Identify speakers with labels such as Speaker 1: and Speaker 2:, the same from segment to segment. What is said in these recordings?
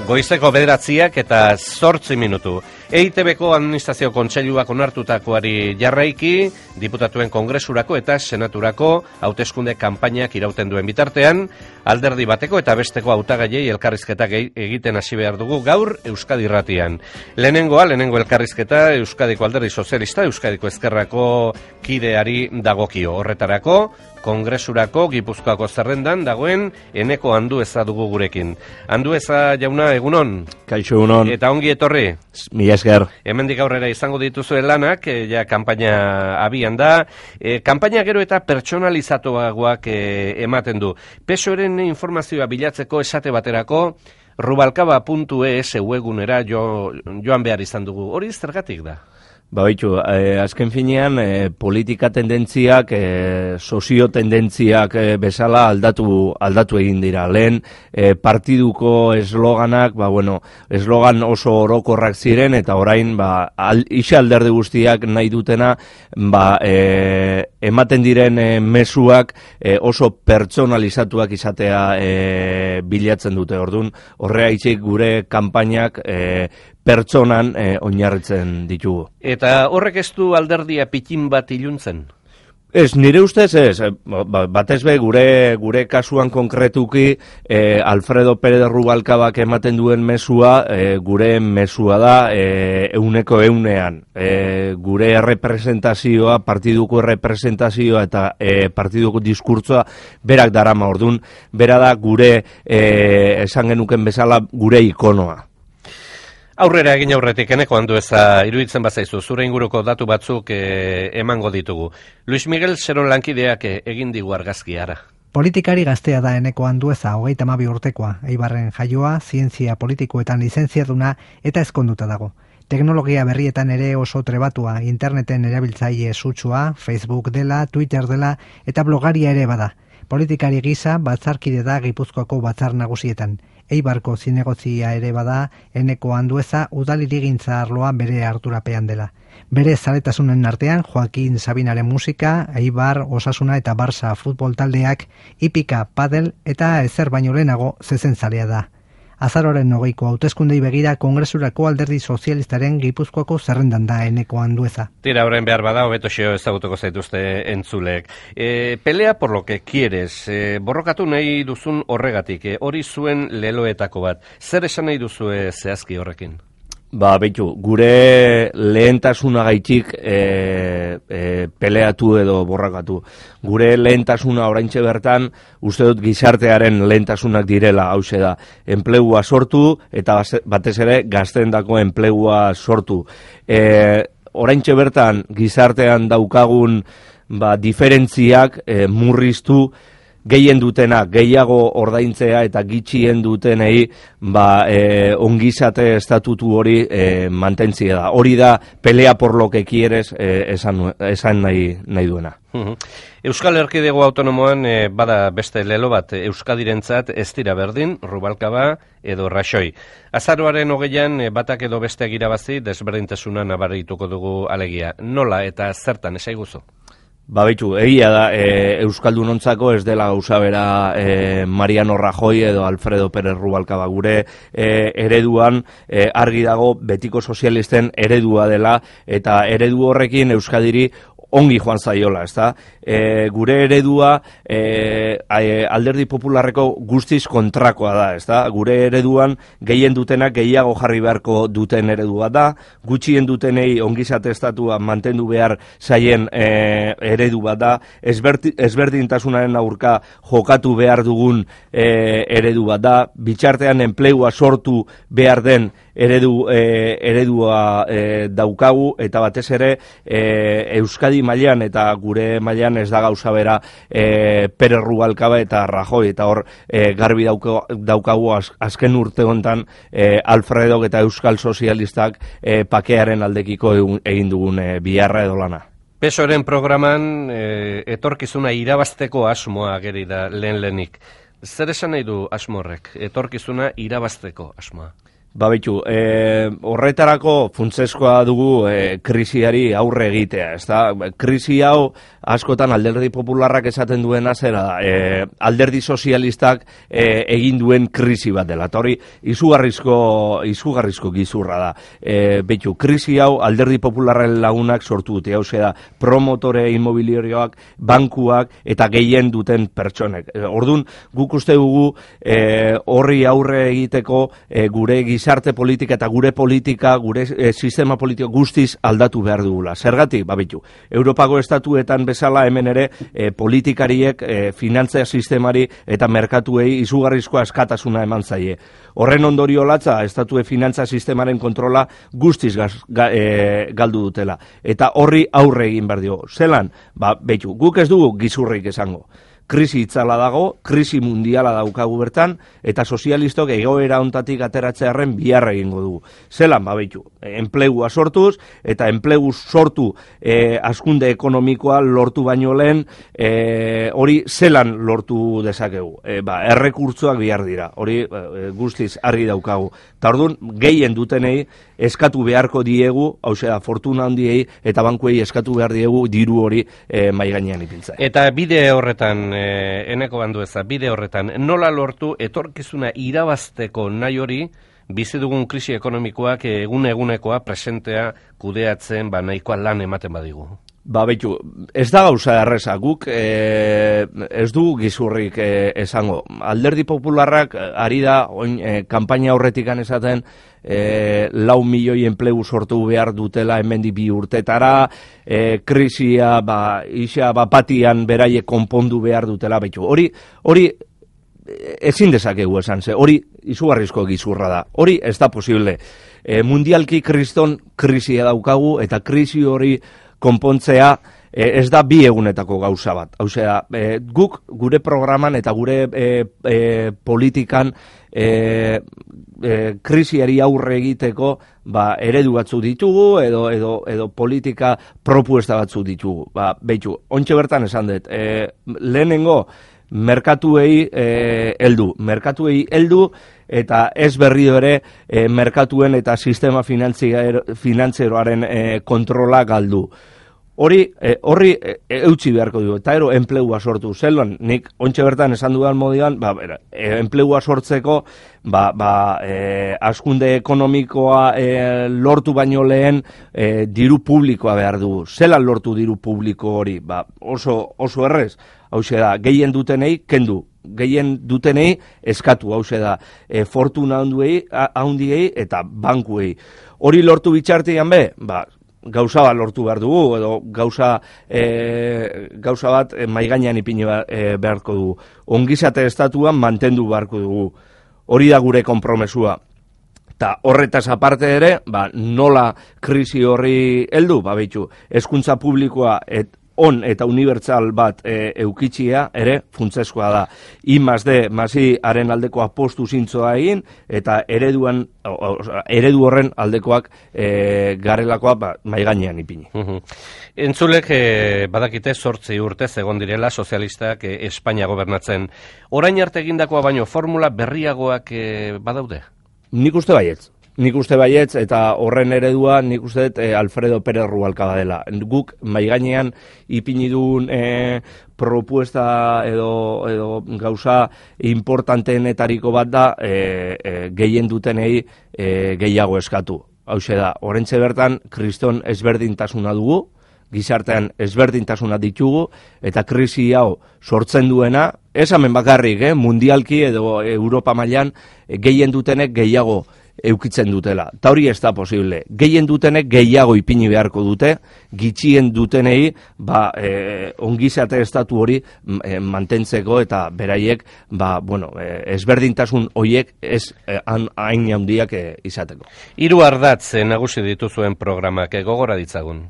Speaker 1: Goizeko 9:08 EITB-ko administrazio kontseiluak onartutakoari jarraiki, diputatuen kongresurako eta senaturako hauteskunde kanpainak irauten duen bitartean, alderdi bateko eta besteko hautagaiei elkarrizketak egiten hasi behar dugu gaur Euskadi Irratian. Lehenengo elkarrizketa Euskadiko Alderdi Sozialista, Euskadiko Ezkerrako kideari dagokio. Horretarako, kongresurako Gipuzkoako zerrendan dagoen Eneko Andueza dugu gurekin. Andueza jauna, egunon?
Speaker 2: Kaixo, egunon.
Speaker 1: Eta ongi etorri?
Speaker 2: Mila esker.
Speaker 1: Hemendik aurrera izango dituzuen lanak, ja kanpaina abian da. Kanpaina gero eta pertsonalizatuagoak ematen du. PSOEren informazioa bilatzeko esate baterako, rubalcaba.es webgunera joan behar izan dugu. Hori zergatik da?
Speaker 2: Baitu, azken finean politika tendentziak, sozio tendentziak bezala aldatu egin dira. Lehen partiduko esloganak, eslogan oso orokorrak ziren eta orain isa alderdi guztiak nahi dutena ematen diren mezuak oso pertsonalizatuak izatea bilatzen dute. Orduan, horregatik gure kanpainak pertsonan oinarritzen ditugu.
Speaker 1: Eta horrek ez du alderdia pitin bat iluntzen?
Speaker 2: Ez, nire ustez ez, batez be gure kasuan konkretuki Alfredo Pérez Rubalcabak ematen duen mezua, gure mezua da euneko eunean. Gure errepresentazioa, partiduko errepresentazioa eta partiduko diskurtsoa berak darama. Orduan, bera da gure, esan genuken bezala, gure ikonoa.
Speaker 1: Aurrera egin aurretik, Eneko Andueza, iruditzen bazaizu, zure inguruko datu batzuk emango ditugu. Luis Miguel Seron lankideak egin digu argazkiara.
Speaker 3: Politikari gaztea da Eneko Andueza, 32 urtekoa, Eibarren jaioa, zientzia politikoetan lizentziaduna eta ezkonduta dago. Teknologia berrietan ere oso trebatua, interneten erabiltzaile sutsua, Facebook dela, Twitter dela eta blogaria ere bada. Politikari gisa batzarkide da Gipuzkoako batzar nagusietan. Eibarko zinegozia ere bada, Eneko Andueza udalirigintza arloa bere ardurapean dela. Bere zaletasunen artean, Joaquin Sabinaren musika, Eibar, Osasuna eta Barça futbol taldeak, hipika, padel eta ezer baino lehenago zezentzalea da. Azaroren 20ko hauteskundei begira Kongresurako Alderdi Sozialistaren Gipuzkoako zerrendan da Eneko Andueza.
Speaker 1: Tira, orain behar bada, hobeto xeo ezagutuko zaituzte entzulek. Pelea por lo que quieres, borrokatu nahi duzun horregatik, hori zuen leloetako bat. Zer esan nahi duzue zehazki horrekin?
Speaker 2: Beitu, gure lehentasunagaitik peleatu edo borrakatu. Gure lehentasuna oraintxe bertan, uste dut gizartearen lehentasunak direla, hause da. Enplegua sortu eta batez ere gazteendako enplegua sortu. Oraintxe bertan gizartean daukagun diferentziak murriztu, gehien dutena gehiago ordaintzea eta gitxien dutenei ongizate estatutu hori mantentzia da. Hori da pelea por lo que quieres esan nahi duena.
Speaker 1: Euskal Erkidego Autonomoan bada beste lelo bat Euskadirentzat ez dira berdin, Rubalcaba edo Raxoi. Azaroaren 20an batak edo besteak irabazi desberdintasuna nabarituko dugu alegia. Nola eta zertan esaiguzu?
Speaker 2: Baitu, egia da, Euskaldunontzako ez dela gauza bera Mariano Rajoy edo Alfredo Pérez Rubalcaba. Gure ereduan argi dago betiko sozialisten eredua dela eta eredu horrekin Euskadiri ongi joan zaiola, ezta? Gure eredua Alderdi Popularreko guztiz kontrakoa da, ezta? Gure ereduan gehien dutenak gehiago jarri beharko duten eredua da, gutxien dutenei ongizate estatua mantendu behar zaien eredu bat da, ezberdintasunaren aurka jokatu behar dugun eredu bat da, bitxartean enplegua sortu behar den eredua daukagu eta batez ere Euskadi mailan eta gure mailan ez da gauza bera Pérez Rubalcaba eta Rajoy eta hor garbi daukagu azken urte hontan Alfredok eta Euskal Sozialistak pakearen aldekiko egin dugun biharra edo lana.
Speaker 1: PSOEren programan etorkizuna irabazteko asmoa ageri da lehenik. Zer esan nahi du asmo horrek? Etorkizuna irabazteko asmoa?
Speaker 2: Babitu, horretarako funtsezkoa dugu krisiari aurre egitea, ezta? Krisi hau askotan Alderdi Popularrak esaten duena zera da, Alderdi Sozialistak egin duen krisi bat dela, eta hori izugarrizko gizurra da. Betu, krisi hau Alderdi Popularren lagunak sortu dute, hau da, promotore inmobiliarioak, bankuak eta gehien duten pertsonek. Orduan, guk uste dugu horri aurre egiteko gure gizarte politika eta gure politika, gure sistema politiko guztiz aldatu behar dugula. Zergatik, babitu, Europako estatuetan bezala hemen ere politikariek finantzia sistemari eta merkatuei izugarrizko askatasuna eman zaie. Horren ondorio latza, estatue finantza sistemaren kontrola guztiz galdu dutela. Eta horri aurre egin behar dio. Zelan, behitu, guk ez dugu gizurrik esango. Krisi itzala dago, krisi mundiala daukagu bertan, eta sozialistok egoera hontatik ateratzearen biharra egingo dugu. Zelan, behitu, enplegua sortuz, eta enplegu sortu hazkunde ekonomikoa lortu baino lehen, hori zelan lortu dezakegu. Errekurtzoak bihar dira, hori guztiz argi daukagu. Eta orduan, gehien dutenei eskatu beharko diegu, hau fortuna handiei, eta bankuei eskatu behar diegu diru hori maigainean ipintzea.
Speaker 1: Eta bide horretan, Eneko Andueza, bide horretan, nola lortu etorkizuna irabazteko nahi hori, bizi dugun krisi ekonomikoak egunekoa presentea kudeatzen nahikoa lan ematen badigu?
Speaker 2: Behitu, ez da gauza erreza, guk ez du gizurrik esango. Alderdi Popularrak ari da, kanpaina horretikan esaten, 4 milioi enplegu sortu behar dutela hemendik 2 urtetara, krisia isa batian beraie konpondu behar dutela, behitu. Hori ezin dezakegu esan ze, hori izugarrizko gizurra da, hori ez da posible. Mundialki kriston krisia daukagu, eta krisi hori konpontzea ez da 2 egunetako gauza bat. Osea, guk gure programan eta gure politikan krisiari aurre egiteko eredu batzuk ditugu edo politika propuesta batzuk ditugu. Behitu, ontxe bertan esan dut, lehenengo merkatuei heldu eta ez berriro ere merkatuen eta sistema finantzieroaren kontrola galdu. Horri eutxi beharko dugu, eta enplegua sortu. Zelan, nik ontxe bertan esan dudan modian, enplegua sortzeko, hazkunde ekonomikoa lortu baino lehen diru publikoa behar dugu. Zelan lortu diru publiko hori? Oso errez. Hau da, gehien dutenei kendu, gehien dutenei eskatu, hau da, fortuna handiei eta bankuei. Hori lortu bitxartean gauza bat lortu behar dugu, edo gauza bat maigainean ipini beharko dugu. Ongizate estatuan mantendu beharko dugu. Hori da gure konpromesua. Eta horretaz aparte ere, nola krisi horri heldu, behitu, hezkuntza publikoa eta unibertsal bat eukitxia ere funtsezkoa da. I+D+I-aren aldeko apostu zintzoa egin, eta eredu horren aldekoak garelakoa maigainean ipini.
Speaker 1: Entzulek badakite 8 urtez egon direla sozialistak Espainia gobernatzen. Orain arte egindakoa baino formula berriagoak badaude?
Speaker 2: Nik uste baietz, eta horren eredua nik uste Alfredo Pérez Rubalcaba dela. Guk maigainean ipini duen propuesta edo gauza importanteenetariko bat da gehien dutenei gehiago eskatu. Hau da, orentxe bertan kriston ezberdintasuna dugu, gizartean ezberdintasuna ditugu, eta krisi hau sortzen duena, ez hemen bakarrik, mundialki edo Europa mailan gehien dutenek gehiago eukitzen dutela. Ta hori ez da posible. Gehien dutenek gehiago ipini beharko dute, gitxien dutenei ongizate estatu hori mantentzeko eta beraiek ezberdintasun horiek ez hain handiak izateko.
Speaker 1: 3 ardatz nagusi dituzuen programak gogora ditzagun.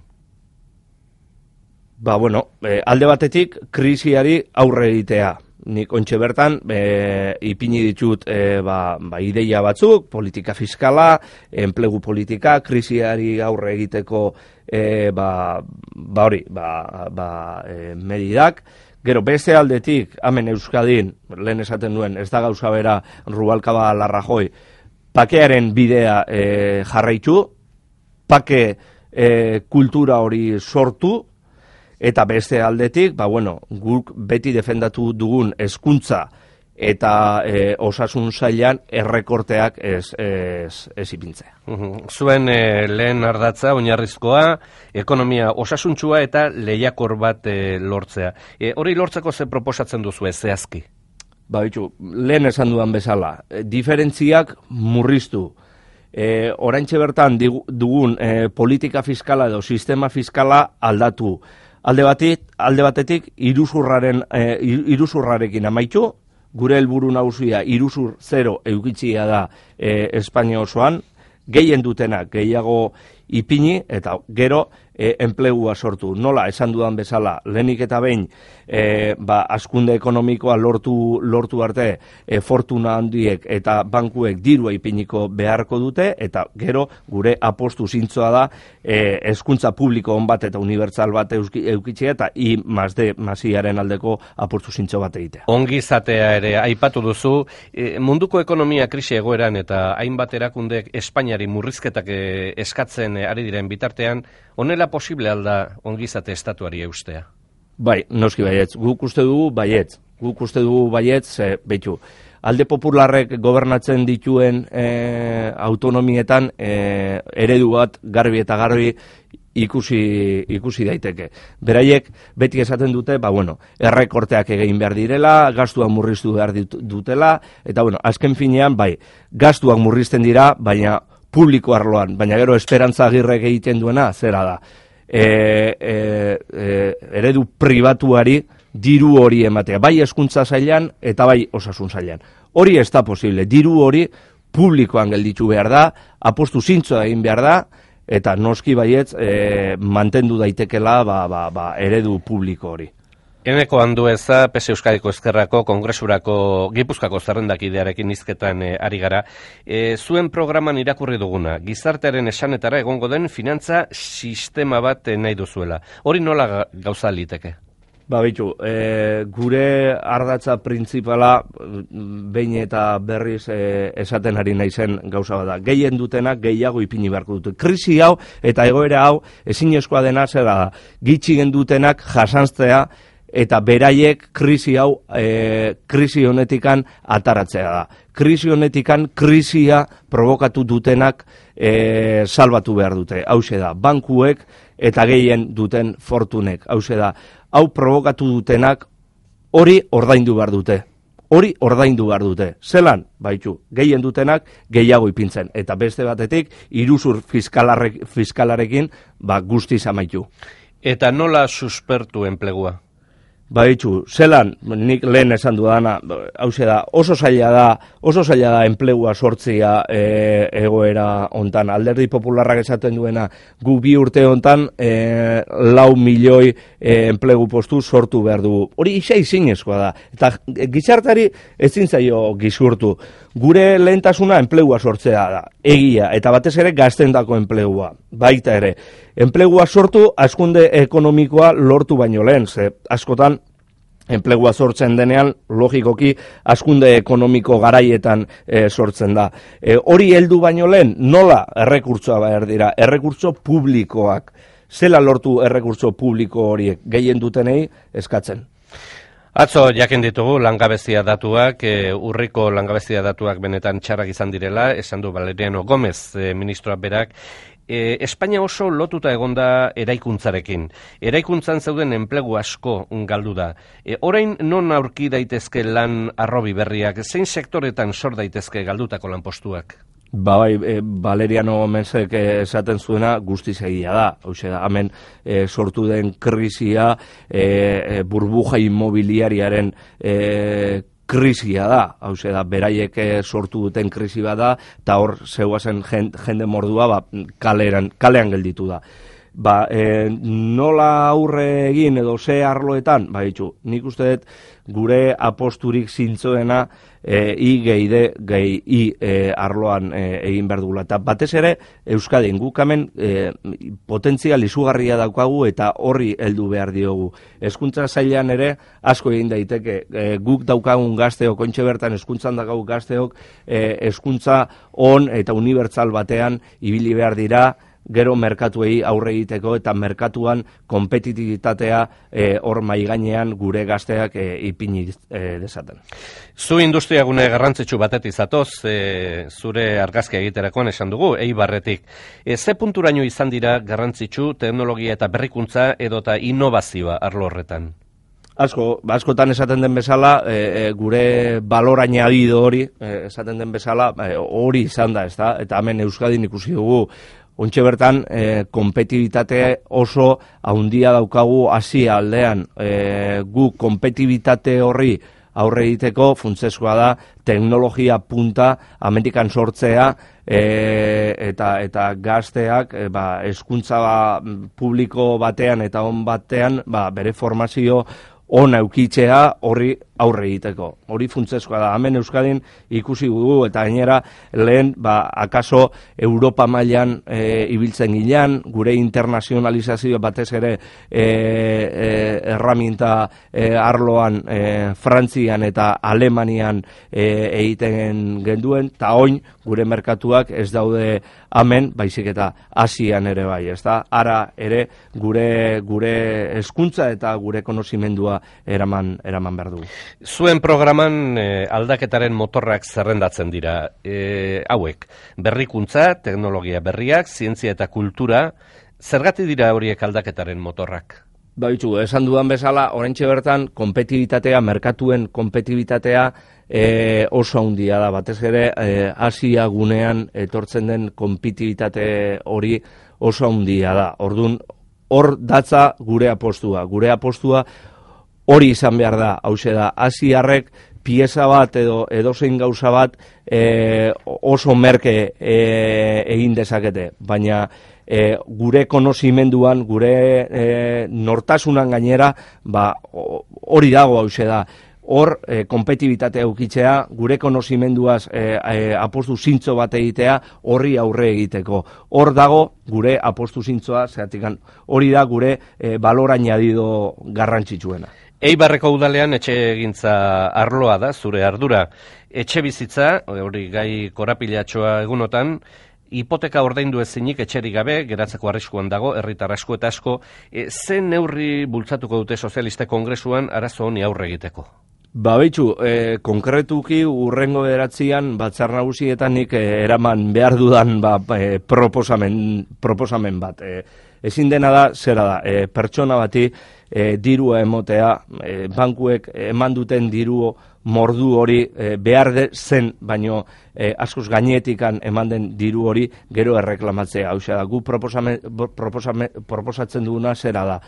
Speaker 2: Alde batetik krisiari aurre egitea. Nik ontxe bertan ipini ditut ideia batzuk, politika fiskala, enplegu politika, krisiari aurre egiteko medidak. Gero, beste aldetik, hemen Euskadin, lehen esaten duen, ez da gauza bera Rubalcaba Larrajoi, pakearen bidea jarraitu, pake kultura hori sortu, eta beste aldetik, guk beti defendatu dugun hezkuntza eta osasun sailan errekorteak ez ipintzea.
Speaker 1: Zuen lehen ardatza, oinarrizkoa, ekonomia osasuntsua eta lehiakor bat lortzea. Hori lortzeko ze proposatzen duzu zehazki?
Speaker 2: Lehen esan dudan bezala, diferentziak murriztu. Oraintxe bertan dugun politika fiskala edo sistema fiskala aldatu. Alde batetik iruzurrarekin amaitu, gure helburu nagusia iruzur zero eukitzia da Espainia osoan, gehien dutenak gehiago ipini eta gero enplegua sortu. Nola, esan dudan bezala, lehenik eta behin hazkunde ekonomikoa lortu arte fortuna handiek eta bankuek dirua ipiniko beharko dute, eta gero gure apostu zintzoa da hezkuntza publiko on bat eta unibertsal bat eukitzea eta I+D+I-aren aldeko apostu zintzo bat egitea.
Speaker 1: Ongizatea ere aipatu duzu, munduko ekonomia krisi egoeran eta hainbat erakundek Espainiari murrizketak eskatzen ari diren bitartean, honela posible alda ongizate estatuari eustea?
Speaker 2: Bai, noski baietz. Guk uste dugu baietz, alde popularrek gobernatzen dituen autonomietan eredu bat garbi eta garbi ikusi daiteke. Beraiek beti esaten dute, errekorteak egin behar direla, gastuak murriztu behar dutela, eta azken finean, gastuak murrizten dira, baina publiko arloan, baina gero Esperantza Agirrek egiten duena, zera da. Eredu pribatuari diru hori ematea, bai hezkuntza sailan eta bai osasun sailan. Hori ez da posible, diru hori publikoan gelditu behar da, apostu zintzoa egin behar da, eta noski baietz mantendu daitekela eredu publiko hori.
Speaker 1: Eneko Andueza, PS Euskadiko Ezkerrako Kongresurako Gipuzkoako zerrendakidearekin hizketan ari gara. Zuen programan irakurri duguna, gizartearen esanetara egongo den finantza sistema bat nahi duzuela. Hori nola gauza liteke?
Speaker 2: Gure ardatza printzipala behin eta berriz esaten ari naizen gauza bada. Gehien dutenak gehiago ipini beharko dute. Krisi hau eta egoera hau ezinezkoa dena zera da. Gitxigen dutenak jasantzea eta beraiek krisi hau krisi honetikan ataratzea da. Krisi honetikan krisia provokatu dutenak salbatu behar dute. Hauxe da, bankuek eta gehien duten fortunek. Hauxe da, hau provokatu dutenak hori ordaindu behar dute. Hori ordaindu behar dute. Zelan, gehien dutenak gehiago ipintzen. Eta beste batetik, iruzur fiskalarekin guztiz amaitu.
Speaker 1: Eta nola suspertu enplegua?
Speaker 2: Zelan, nik lehen esan dudana, hauxe da, oso zaila da enplegua sortzia egoera hontan. Alderdi Popularrak esaten duena, gu 2 urte hontan 4 milioi enplegu postu sortu behar dugu. Hori zinezkoa da. Eta gizartari ezin zaio gizurtu. Gure lehentasuna enplegua sortzea da, egia, eta batez ere gaztendako enplegua, baita ere. Enplegua sortu, hazkunde ekonomikoa lortu baino lehen, askotan enplegua sortzen denean, logikoki, hazkunde ekonomiko garaietan sortzen da. Hori heldu baino lehen, nola errekurtsoa behar dira? Errekurtso publikoak. Zela lortu errekurtso publiko horiek gehien dutenei eskatzen?
Speaker 1: Atzo jakin ditugu langabezia datuak, urriko langabezia datuak benetan txarrak izan direla, esan du Valeriano Gómez, ministroa berak. Espainia oso lotuta egonda eraikuntzarekin. Eraikuntzan zeuden enplegu asko galdu da. Orain non aurki daitezke lan arrobi berriak, zein sektoretan sor daitezke galdutako lanpostuak?
Speaker 2: Valeriano Gómezek esaten zuena guztiz egia da. Hauxe da, hemen sortu den krisia burbuja inmobiliariaren krisia da, hauxe da, beraiek sortu duten krisi bada, eta hor zeuazen jende mordua kalean gelditu da. nola aurre egin edo ze arloetan, nik uste dut gure aposturik zintzoena I arloan egin behar dugula. Eta batez ere, Euskadin, guk hemen potentzial izugarria daukagu eta horri heldu behar diogu. Hezkuntza sailean ere asko egin daiteke, guk daukagun gazteok, ontxe bertan hezkuntzan daukagun gazteok, hezkuntza on eta unibertsal batean ibili behar dira, gero merkatuei aurre egiteko eta merkatuan konpetitibitatea hor maigainean gure gazteak ipini dezaten.
Speaker 1: Zu industriagune garrantzitsu batetik zatoz, zure argazkia egiterakoan esan dugu, Eibarretik. Ze punturaino izan dira garrantzitsu teknologia eta berrikuntza edota innovazioa arlo horretan?
Speaker 2: Askotan esaten den bezala, gure balor añadido hori, esaten den bezala, hori izan da, ezta? Eta hemen Euskadin ikusi dugu, ontxe bertan, konpetibitate oso haundia daukagu Asia aldean. Gu konpetibitate horri aurre egiteko funtsezkoa da teknologia punta Amerikan sortzea eta gazteak hezkuntza publiko batean eta on batean bere formazio ona eukitzea horri aurre egiteko. Hori funtsezkoa da. Hemen Euskadin ikusi dugu eta gainera lehen akaso Europa mailan ibiltzen gilean, gure internazionalizazio batez ere erraminta arloan Frantzian eta Alemanian egiten genduen, eta oin gure merkatuak ez daude hemen, baizik eta Asian ere bai, ezta? Ara ere gure hezkuntza eta gure konozimendua eraman behar dugu.
Speaker 1: Zuen programan aldaketaren motorrak zerrendatzen dira. Hauek, berrikuntza, teknologia berriak, zientzia eta kultura, zergatik dira horiek aldaketaren motorrak?
Speaker 2: Esan dudan bezala, oraintxe bertan, konpetibitatea, merkatuen konpetibitatea oso handia da. Batez ere, Asia gunean etortzen den konpetibitate hori oso handia da. Orduan, hor datza gure apostua. Gure apostua hori izan behar da, hauxe da, Asiarrek pieza bat edo edozein gauza bat oso merke egin dezakete, baina gure konozimenduan, gure nortasunan gainera, hori dago hauxe da. Hor, konpetibitatea eukitzea, gure konozimenduaz apostu zintzo bat egitea, horri aurre egiteko. Hor dago gure apostu zintzoa, hori da gure balor añadido garrantzitsuena.
Speaker 1: Eibarreko udalean etxe egintza arloa da, zure ardura. Etxe bizitza, hori gai korapilatxoa egunotan, hipoteka ordaindu ezinik etxerik gabe, geratzeko arriskuan dago, herritar asko eta asko, zen neurri bultzatuko dute sozialiste kongresuan arazo honi aurre egiteko?
Speaker 2: Konkretuki urrengo beratzian batzar nagusietan nik eraman behar dudan proposamen bat. Ezin dena da, zera da, pertsona bati dirua emotea, bankuek eman duten diru mordu hori behar zen, baino askoz gainetikan eman den diru hori gero erreklamatzea. Hau da, gu proposatzen duguna zera da.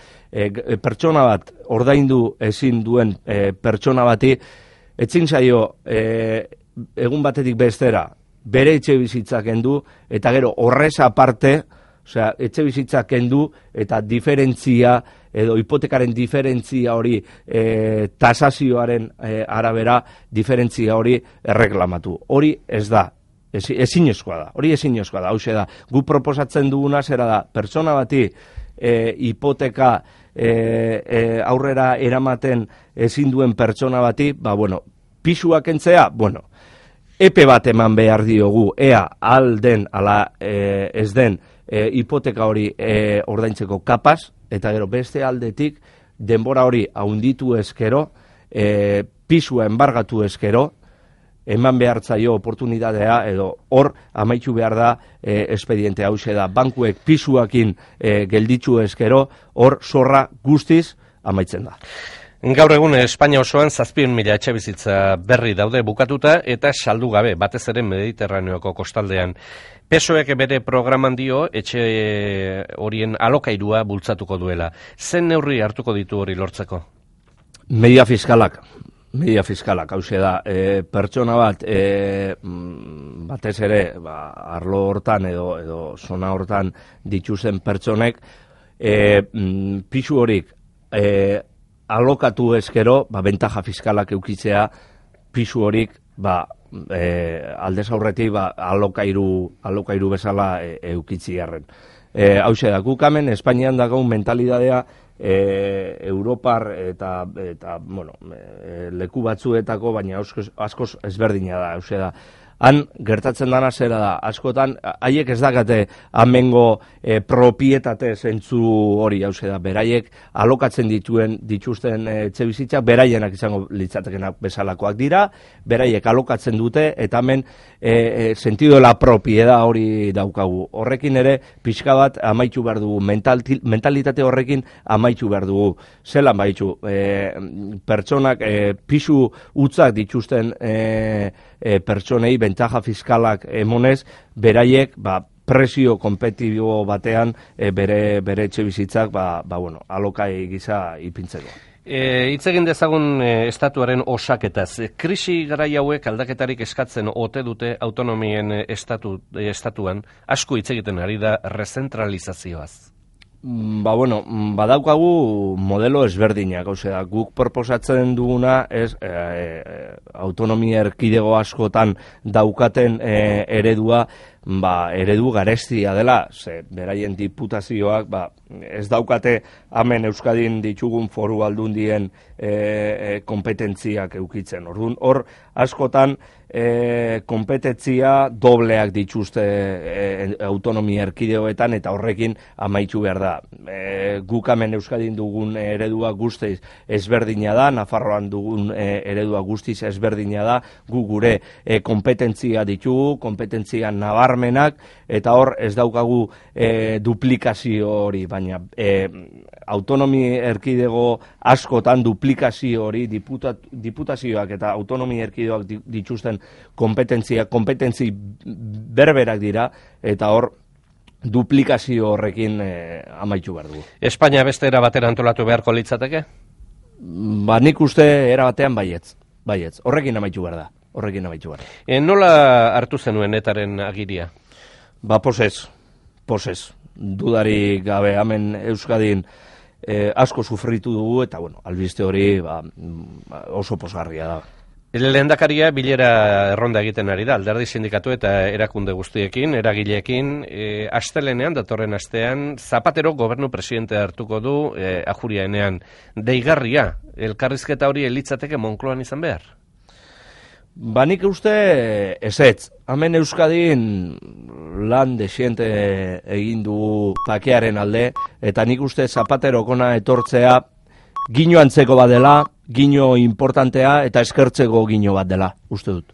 Speaker 2: Pertsona bat ordaindu ezin duen pertsona bati, etzin zaio egun batetik bestera bere etxe bizitza kendu, eta gero horrez aparte, etxe bizitza kendu eta diferentzia edo hipotekaren diferentzia hori tasazioaren arabera diferentzia hori erreklamatu. Hori ez da, ezinezkoa da, hauxe da. Gu proposatzen duguna zera da, pertsona bati hipoteka aurrera eramaten ezin duen pertsona bati, pisua kentzea, epe bat eman behar diogu, ea alden ala ez den hipoteka hori ordaintzeko kapaz, eta gero beste aldetik denbora hori haunditu ezkero, pisua enbargatu ezkero, eman behar zaio oportunitatea edo hor amaitu behar da espediente hauxe da. Bankuek pisuakin gelditzu ezkero, hor zorra guztiz amaitzen da.
Speaker 1: Gaur egun Espainia osoan 7.000 etxe bizitza berri daude bukatuta eta saldu gabe, batez ere Mediterraneoko kostaldean. PSOEk bere programan dio etxe horien alokairua bultzatuko duela. Zen neurri hartuko ditu hori lortzeko?
Speaker 2: Media fiskalak, hauxe da, pertsona bat, batez ere, arlo hortan edo zona hortan dituzen pertsonek, pisu horik alokatu ezkero, bentaja fiskalak eukitzea, pisu horik, aldez aurretik alokairu bezala eukitzi garren. Hauxe da, guk hemen Espainian dago mentalidadea Europar eta leku batzuetako, baina askoz ezberdina da, hauxe da. Han gertatzen dana zera da, askotan, haiek ez dakate amengo propietate zentzu hori, hauze da, beraiek alokatzen dituzten etxebizitzak, beraienak izango litzatekenak bezalakoak dira, beraiek alokatzen dute, eta hemen sentido de la propiedad hori daukagu. Horrekin ere, pixka bat amaitu behar dugu, mentalitate horrekin amaitu behar dugu. Zelan baitu, pertsonak pisu utzak dituzten pertsonei bentaja fiskalak emonez, beraiek presio kompetitibo batean bere etxe bizitzak alokai gisa ipintzeko.
Speaker 1: Hitz egin dezagun estatuaren osaketaz. Krisi garai hauek aldaketarik eskatzen ote dute autonomien estatuan, asko hitz egiten ari da rezentralizazioaz.
Speaker 2: Badaukagu modelo ezberdinak, guk proposatzen duguna ez autonomia erkidego askotan daukaten eredua, eredu garestia dela, beraien diputazioak ez daukate hemen Euskadin ditugun foru aldundien kompetentziak eukitzen. Orduan, hor askotan kompetentzia dobleak dituzte autonomia erkidegoetan eta horrekin amaitu behar da. Guk hemen Euskadin dugun eredua guztiz ezberdina da, Nafarroan dugun eredua guztiz ezberdina da, gu gure kompetentzia ditugu, kompetentzia nabarmenak, eta hor ez daukagu duplikazio hori, baina autonomi erkidego askotan duplikazio hori, diputazioak eta autonomi erkidegoak dituzten kompetentzi berberak dira, eta hor duplikazio horrekin amaitu behar dugu.
Speaker 1: Espainia beste era batera antolatu beharko litzateke?
Speaker 2: Nik uste era batean baietz. Horrekin amaitu behar da.
Speaker 1: Nola hartu zenuen etaren agiria?
Speaker 2: Posez. Dudarik gabe, hemen Euskadin asko sufritu dugu, eta albiste hori oso posgarria da.
Speaker 1: Lehendakaria bilera erronda egiten ari da, alderdi sindikatu eta erakunde guztiekin, eragileekin, astelenean, datorren astean, Zapatero gobernu presidente hartuko du Ajuriaenean. Deigarria, elkarrizketa hori elitzateke Moncloan izan behar?
Speaker 2: Nik uste ezetz. Hemen Euskadin lan desiente egin du bakearen alde, eta nik uste Zapatero kona etortzea gino antzeko bat dela, gino importantea eta eskertzeko gino bat dela, uste dut.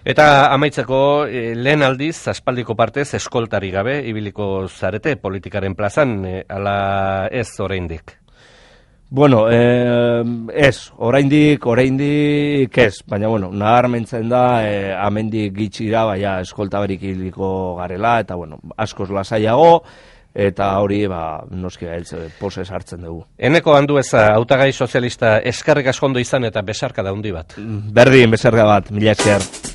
Speaker 1: Eta amaitzeko, lehen aldiz, aspaldiko partez, eskoltari gabe, ibiliko zarete politikaren plazan, ala ez oraindik?
Speaker 2: Ez, oraindik ez, baina nabarmentzen da, amendik gitxira, eskolta berik ibiliko garela, eta askoz lasaiago, eta hori, noski posez hartzen dugu.
Speaker 1: Eneko Andueza, hautagai sozialista, eskerrik asko ondo izan eta besarka da handi bat.
Speaker 2: Berdin, besarka bat, mila esker.